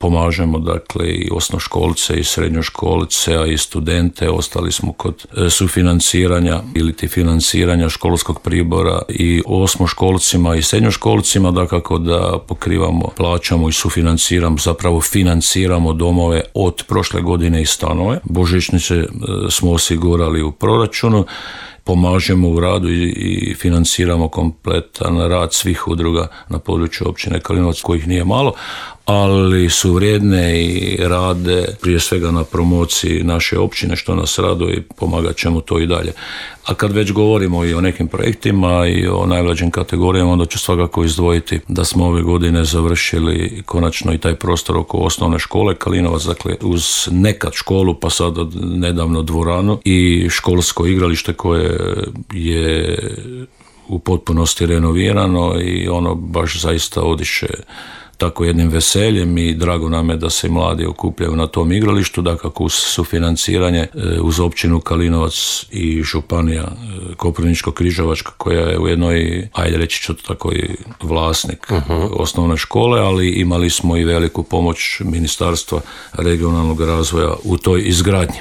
Pomažemo dakle i osnovnoškolce i srednjoškolce, a i studente. Ostali smo kod sufinanciranja ili financiranja školskog pribora i osmoškolcima i srednjoškolcima, dakako da pokrivamo, plaćamo i sufinanciramo, zapravo financiramo domove od prošle godine i stanove. Božićnice smo osigurali u proračunu. Pomažemo u radu i financiramo kompletan rad svih udruga na području općine Kalinovac, kojih nije malo, ali su vrijedne i rade prije svega na promociji naše općine, što nas raduje i pomagat ćemo to i dalje. A kad već govorimo i o nekim projektima i o najmlađim kategorijama, onda ću svakako izdvojiti da smo ove godine završili konačno i taj prostor oko osnovne škole Kalinovac, dakle uz nekad školu pa sad nedavno dvoranu i školsko igralište koje je u potpunosti renovirano i ono baš zaista odiše tako jednim veseljem i drago nam je da se mladi okupljaju na tom igralištu, dakako uz sufinanciranje uz općinu Kalinovac i županija Koprivničko-križevačka koja je ujedno i, ajde reći ću tako, i vlasnik osnovne škole, ali imali smo i veliku pomoć Ministarstva regionalnog razvoja u toj izgradnji.